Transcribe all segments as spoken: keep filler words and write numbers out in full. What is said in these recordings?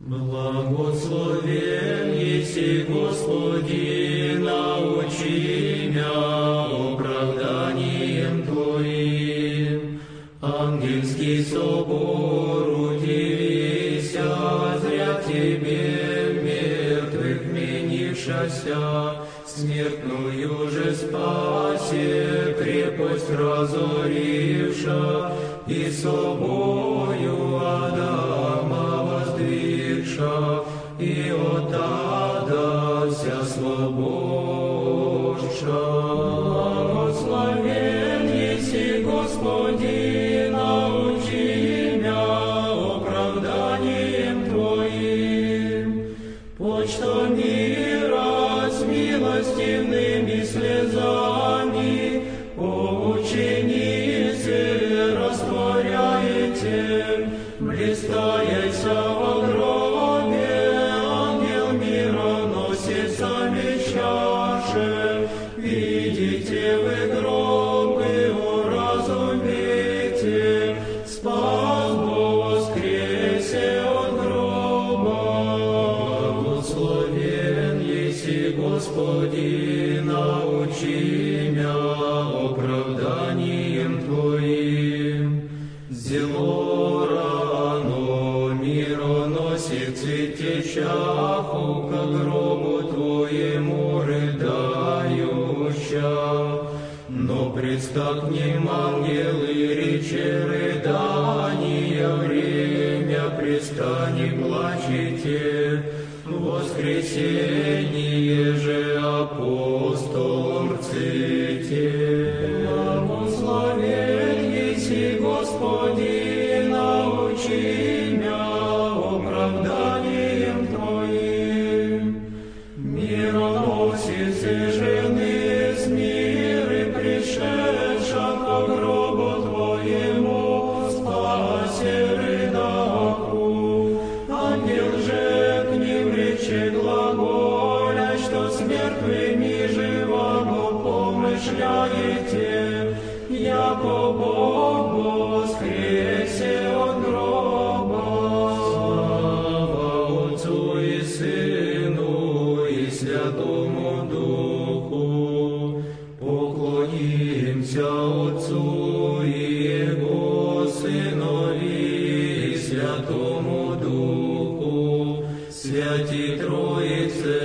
Благословен еси, Господи, научи мя оправданием Твоим. Ангельский собор удивися, зря Тебе мертвых менившася, смертную же спасе крепость разоривша, и собою Адама воздвигша, и от ада вся свободша. Благословен еси, Господи, научи мя оправданием Твоим. Почто мира с милостивными слезами, о ученицы растворяете, блистаеся во гробе, ангел мира носит сами чаши. Видите вы гроб и уразумейте, спас воскресе от гроба. Благословен еси, Господи, научи мя оправданием Твоим. Зело рано мироносец цветещаху ко гробу Твоему рыдающа. Но представ к ним ангелы, рече рыдания, время пристани плачете, воскресение же апостолом рците. Благословен еси, Господи, научи мя оправданием Твоим. Мироносицы жены с миры пришедша ко гробу Твоему, спасе рыдаху. Ангел же к ним рече глаголя, что с мертвыми живаго помышляете, яко Бог воскресе от гроба. Слава Отцу и Сыну и Святому Духу. Поклонимся Отцу и Его Сынові и Святому Духу, Святі Троице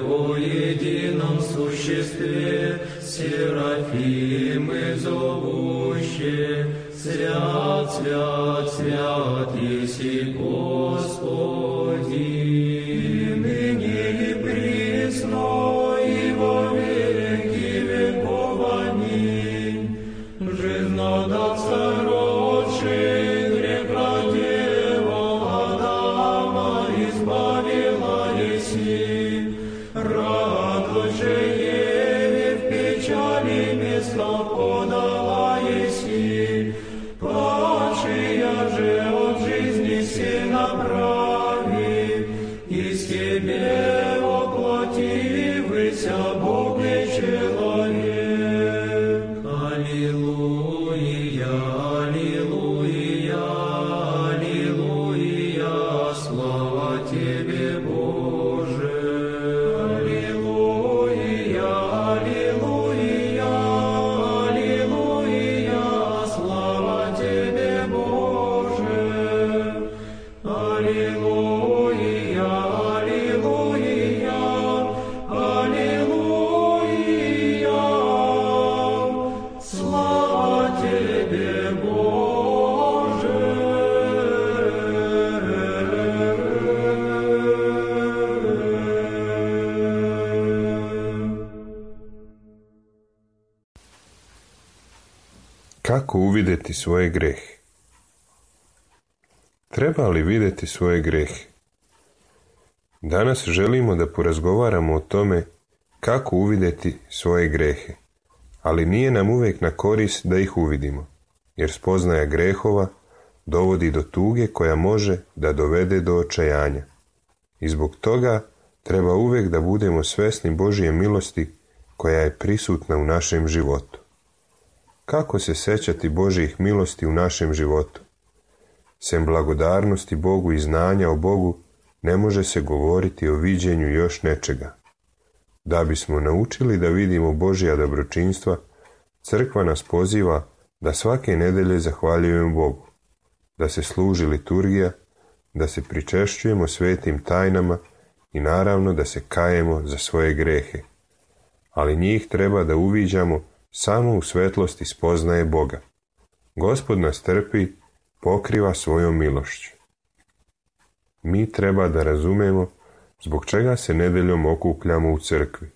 во едином существе, Серафимы зовуще, свят, свят, свят еси Господи, ныне и присно и во веки веков. Аминь. Жизнодавца родший, грех родила Адама, избавила еси, радость же Еве в печали место подала еси, падшая же от жизни се направи, из Тебе воплотився Бог и человек. Аллилуйя, аллилуйя, аллилуйя, слава Тебе, Боже. Аллилуйя, аллилуйя, аллилуйя, слава Тебе, Боже. Аллилуйя, аллилуйя, аллилуйя, слава Тебе, Боже. Kako uvidjeti svoje grehe? Treba li vidjeti svoje grehe? Danas želimo da porazgovaramo o tome kako uvidjeti svoje grehe, ali nije nam uvijek na korist da ih uvidimo, jer spoznaja grehova dovodi do tuge koja može da dovede do očajanja. I zbog toga treba uvijek da budemo svesni Božje milosti koja je prisutna u našem životu. Kako se sećati Božjih milosti u našem životu? Sem blagodarnosti Bogu i znanja o Bogu, ne može se govoriti o viđenju još nečega. Da bismo naučili da vidimo Božja dobročinstva, crkva nas poziva da svake nedelje zahvaljujemo Bogu, da se služi liturgija, da se pričešćujemo svetim tajnama i naravno da se kajemo za svoje grehe. Ali njih treba da uviđamo samo u svetlosti spoznaje Boga. Gospod nas trpi, pokriva svojom milošću. Mi treba da razumemo zbog čega se nedeljom okupljamo u crkvi.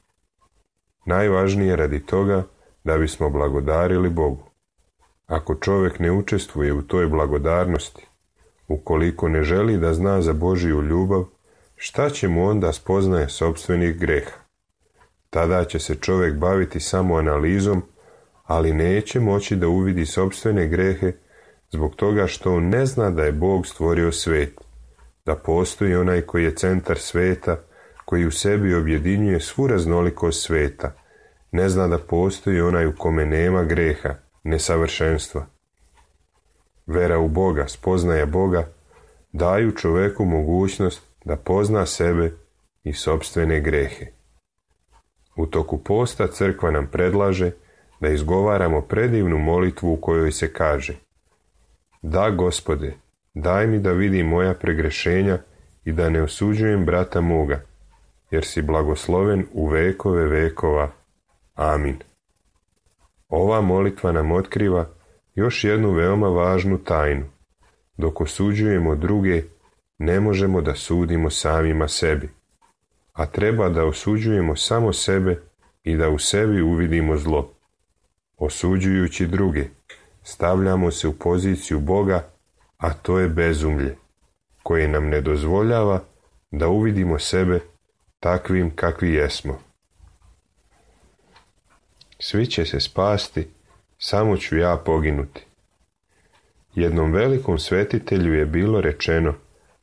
Najvažnije radi toga da bismo blagodarili Bogu. Ako čovjek ne učestvuje u toj blagodarnosti, ukoliko ne želi da zna za Božju ljubav, šta će mu onda spoznaje sopstvenih greha? Tada će se čovjek baviti samo analizom, ali neće moći da uvidi sopstvene grehe zbog toga što on ne zna da je Bog stvorio svet, da postoji onaj koji je centar sveta, koji u sebi objedinjuje svu raznolikost sveta, ne zna da postoji onaj u kome nema greha, nesavršenstva. Vera u Boga, spoznaja Boga, daju čoveku mogućnost da pozna sebe i sopstvene grehe. U toku posta crkva nam predlaže da izgovaramo predivnu molitvu u kojoj se kaže: Da, Gospode, daj mi da vidim moja pregrešenja i da ne osuđujem brata moga, jer si blagosloven u vekove vekova. Amin. Ova molitva nam otkriva još jednu veoma važnu tajnu. Dok osuđujemo druge, ne možemo da sudimo samima sebi, a treba da osuđujemo samo sebe i da u sebi uvidimo zlo. Osuđujući druge, stavljamo se u poziciju Boga, a to je bezumlje, koje nam ne dozvoljava da uvidimo sebe takvim kakvi jesmo. Svi će se spasti, samo ću ja poginuti. Jednom velikom svetitelju je bilo rečeno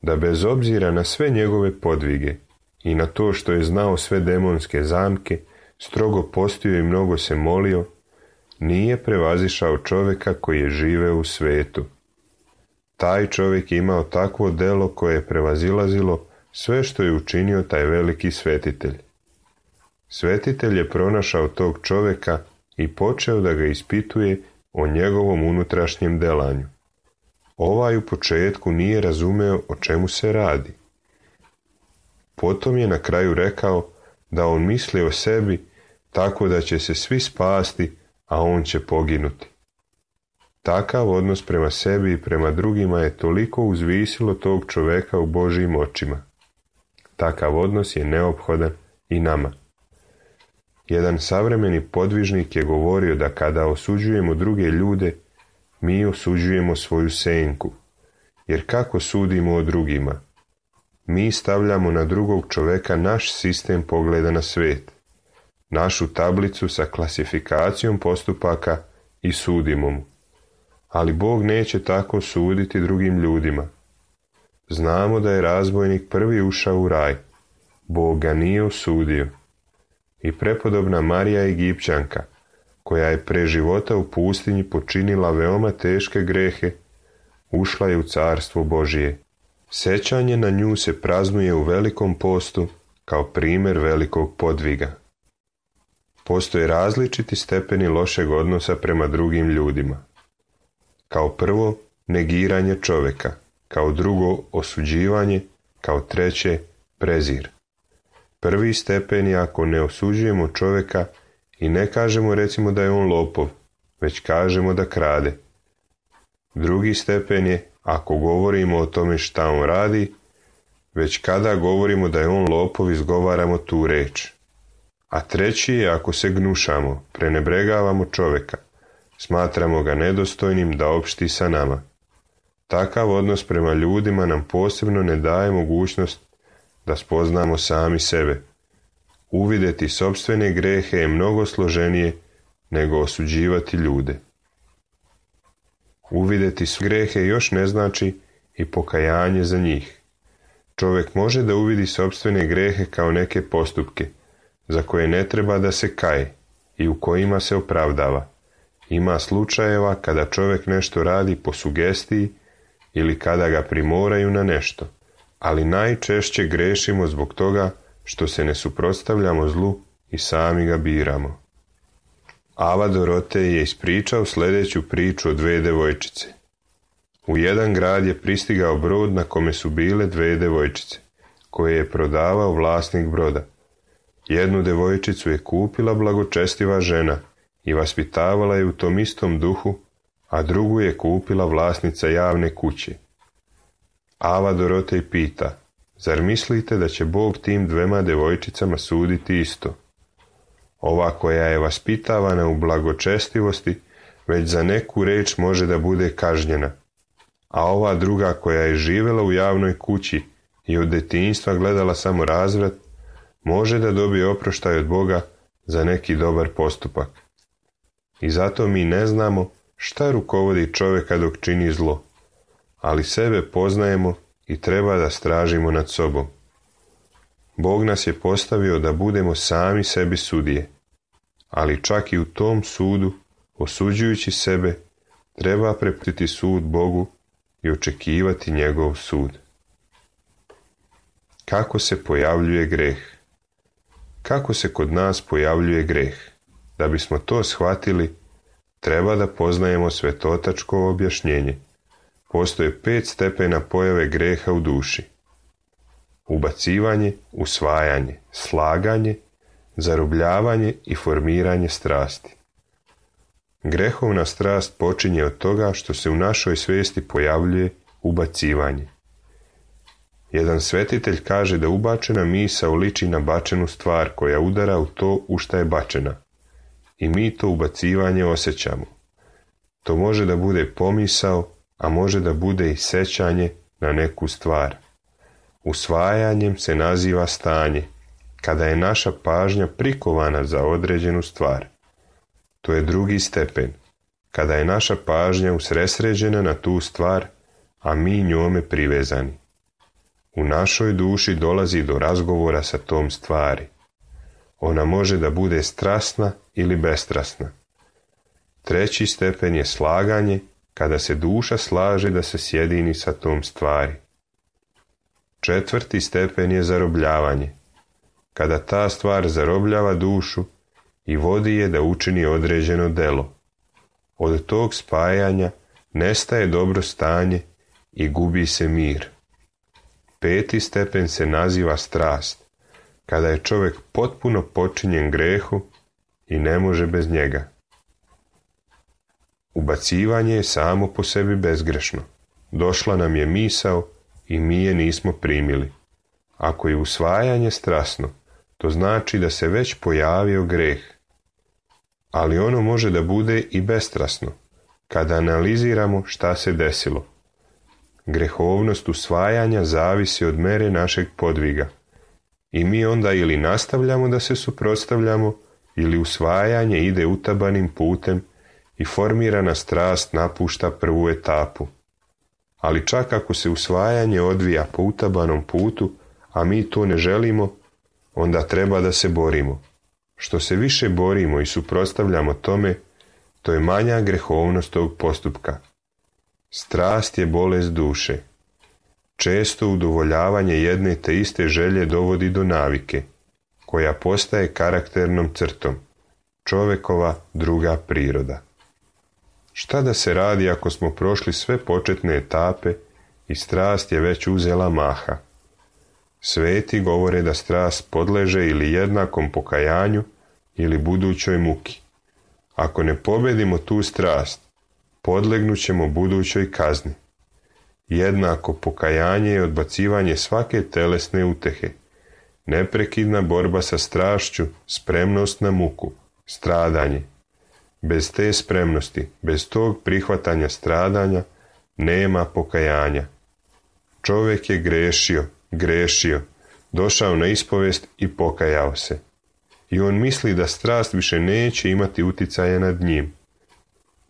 da bez obzira na sve njegove podvige i na to što je znao sve demonske zamke, strogo postio i mnogo se molio, nije prevazišao čovjeka koji je živeo u svetu. Taj čovjek je imao takvo delo koje je prevazilazilo sve što je učinio taj veliki svetitelj. Svetitelj je pronašao tog čovjeka i počeo da ga ispituje o njegovom unutrašnjem delanju. Ovaj u početku nije razumeo o čemu se radi. Potom je na kraju rekao da on misli o sebi tako da će se svi spasti, a on će poginuti. Takav odnos prema sebi i prema drugima je toliko uzvisilo tog čoveka u Božjim očima. Takav odnos je neophodan i nama. Jedan savremeni podvižnik je govorio da kada osuđujemo druge ljude, mi osuđujemo svoju senku, jer kako sudimo o drugima? Mi stavljamo na drugog čoveka naš sistem pogleda na svijet, našu tablicu sa klasifikacijom postupaka i sudimo mu. Ali Bog neće tako suditi drugim ljudima. Znamo da je razbojnik prvi ušao u raj. Bog ga nije osudio. I prepodobna Marija Egipćanka, koja je pre života u pustinji počinila veoma teške grehe, ušla je u carstvo Božije. Sećanje na nju se praznuje u velikom postu kao primjer velikog podviga. Postoje različiti stepeni lošeg odnosa prema drugim ljudima. Kao prvo, negiranje čovjeka, kao drugo, osuđivanje, kao treće, prezir. Prvi stepen je ako ne osuđujemo čovjeka i ne kažemo recimo da je on lopov, već kažemo da krade. Drugi stepen je ako govorimo o tome šta on radi, već kada govorimo da je on lopov izgovaramo tu reč. A treći je ako se gnušamo, prenebregavamo čovjeka, smatramo ga nedostojnim da opšti sa nama. Takav odnos prema ljudima nam posebno ne daje mogućnost da spoznamo sami sebe. Uvidjeti sopstvene grehe je mnogo složenije nego osuđivati ljude. Uvidjeti sve grehe još ne znači i pokajanje za njih. Čovjek može da uvidi sopstvene grehe kao neke postupke, za koje ne treba da se kaje i u kojima se opravdava. Ima slučajeva kada čovjek nešto radi po sugestiji ili kada ga primoraju na nešto, ali najčešće grešimo zbog toga što se ne suprotstavljamo zlu i sami ga biramo. Ava Dorotej je ispričao sljedeću priču o dve devojčice. U jedan grad je pristigao brod na kome su bile dve devojčice, koje je prodavao vlasnik broda. Jednu devojčicu je kupila blagočestiva žena i vaspitavala je u tom istom duhu, a drugu je kupila vlasnica javne kuće. Ava Dorotej pita, zar mislite da će Bog tim dvema devojčicama suditi isto? Ova koja je vaspitavana u blagočestivosti, već za neku reč može da bude kažnjena, a ova druga koja je živjela u javnoj kući i od detinjstva gledala samo razvrat, može da dobije oproštaj od Boga za neki dobar postupak. I zato mi ne znamo šta rukovodi čovjeka dok čini zlo, ali sebe poznajemo i treba da stražimo nad sobom. Bog nas je postavio da budemo sami sebi sudije, ali čak i u tom sudu, osuđujući sebe, treba prepustiti sud Bogu i očekivati njegov sud. Kako se pojavljuje greh? Kako se kod nas pojavljuje greh? Da bismo to shvatili, treba da poznajemo svetotačko objašnjenje. Postoje pet stepena pojave greha u duši. Ubacivanje, usvajanje, slaganje, zarobljavanje i formiranje strasti. Grehovna strast počinje od toga što se u našoj svijesti pojavljuje ubacivanje. Jedan svetitelj kaže da ubačena misao liči na bačenu stvar koja udara u to u šta je bačena. I mi to ubacivanje osjećamo. To može da bude pomisao, a može da bude i sećanje na neku stvar. Usvajanjem se naziva stanje, kada je naša pažnja prikovana za određenu stvar. To je drugi stepen, kada je naša pažnja usresređena na tu stvar, a mi njome privezani. U našoj duši dolazi do razgovora sa tom stvari. Ona može da bude strasna ili bestrasna. Treći stepen je slaganje, kada se duša slaže da se sjedini sa tom stvari. Četvrti stepen je zarobljavanje, kada ta stvar zarobljava dušu i vodi je da učini određeno delo. Od tog spajanja nestaje dobro stanje i gubi se mir. Peti stepen se naziva strast, kada je čovjek potpuno počinjen grehu i ne može bez njega. Ubacivanje je samo po sebi bezgrešno. Došla nam je misao i mi je nismo primili. Ako je usvajanje strasno, to znači da se već pojavio greh. Ali ono može da bude i bestrasno, kada analiziramo šta se desilo. Grehovnost usvajanja zavisi od mere našeg podviga. I mi onda ili nastavljamo da se suprotstavljamo, ili usvajanje ide utabanim putem i formirana strast napušta prvu etapu. Ali čak ako se usvajanje odvija po utabanom putu, a mi to ne želimo, onda treba da se borimo. Što se više borimo i suprotstavljamo tome, to je manja grehovnost tog postupka. Strast je bolest duše. Često udovoljavanje jedne te iste želje dovodi do navike, koja postaje karakternom crtom, čovekova druga priroda. Šta da se radi ako smo prošli sve početne etape i strast je već uzela maha? Sveti govore da strast podleže ili jednakom pokajanju ili budućoj muki. Ako ne pobedimo tu strast, podlegnut ćemo budućoj kazni. Jednako pokajanje je odbacivanje svake telesne utehe, neprekidna borba sa strašću, spremnost na muku, stradanje. Bez te spremnosti, bez tog prihvatanja stradanja, nema pokajanja. Čovjek je grešio, grešio, došao na ispovest i pokajao se. I on misli da strast više neće imati uticaja nad njim.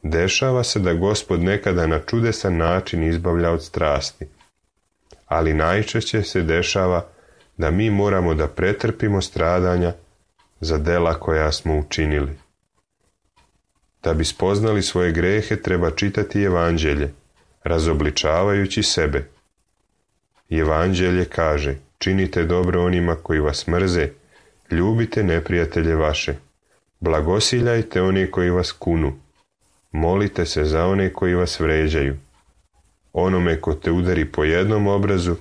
Dešava se da Gospod nekada na čudesan način izbavlja od strasti. Ali najčešće se dešava da mi moramo da pretrpimo stradanja za dela koja smo učinili. Da bi spoznali svoje grehe treba čitati evanđelje, razobličavajući sebe. Evanđelje kaže: činite dobro onima koji vas mrze, ljubite neprijatelje vaše, blagosiljajte one koji vas kunu, molite se za one koji vas vređaju. Onome ko te udari po jednom obrazu,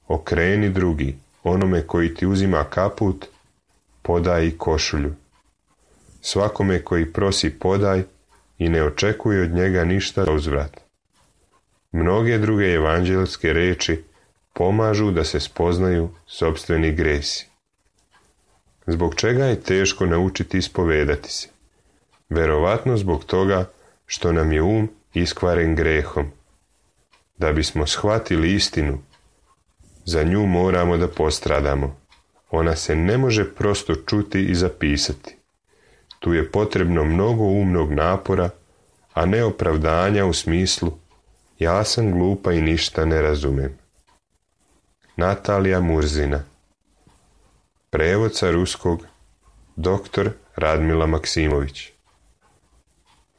okreni drugi, onome koji ti uzima kaput, podaj i košulju. Svakome koji prosi podaj i ne očekuje od njega ništa za uzvrat. Mnoge druge evanđelske reči pomažu da se spoznaju sopstveni gresi. Zbog čega je teško naučiti ispovedati se? Verovatno zbog toga što nam je um iskvaren grehom. Da bismo shvatili istinu, za nju moramo da postradamo. Ona se ne može prosto čuti i zapisati. Tu je potrebno mnogo umnog napora, a ne opravdanja u smislu ja sam glupa i ništa ne razumem. Natalija Murzina. Prevod sa ruskog doktor Radmila Maksimović.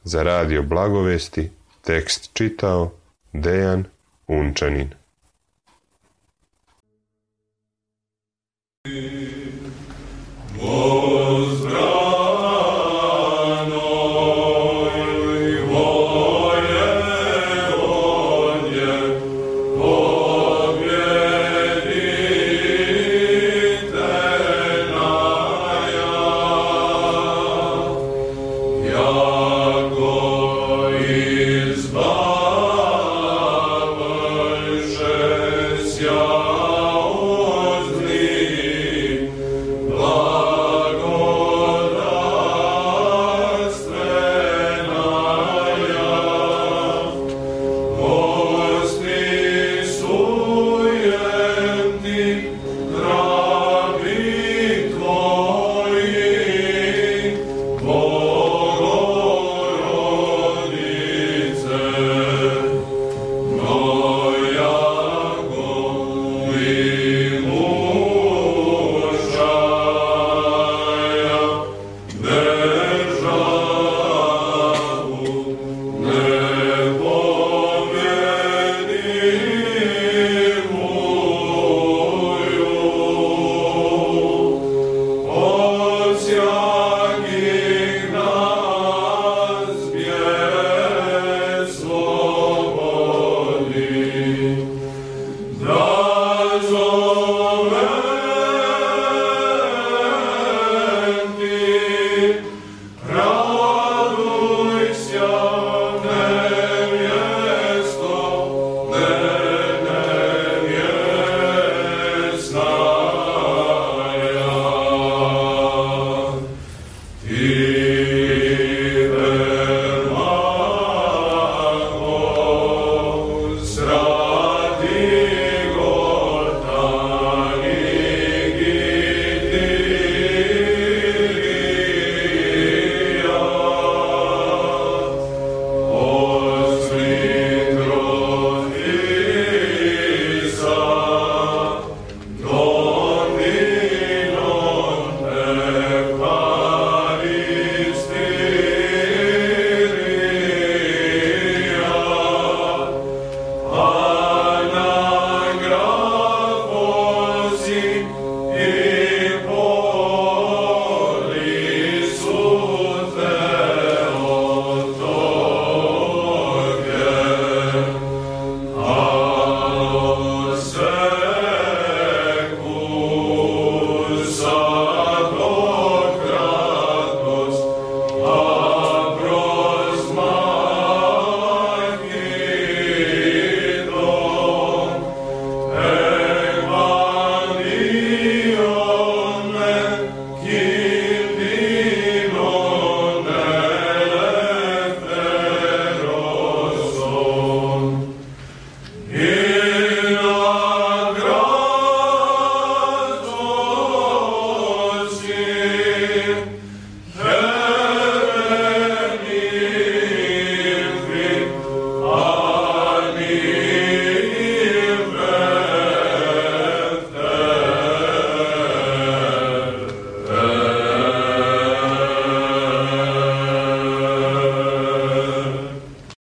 Za radio Blagovesti tekst čitao Dejan Unčanin.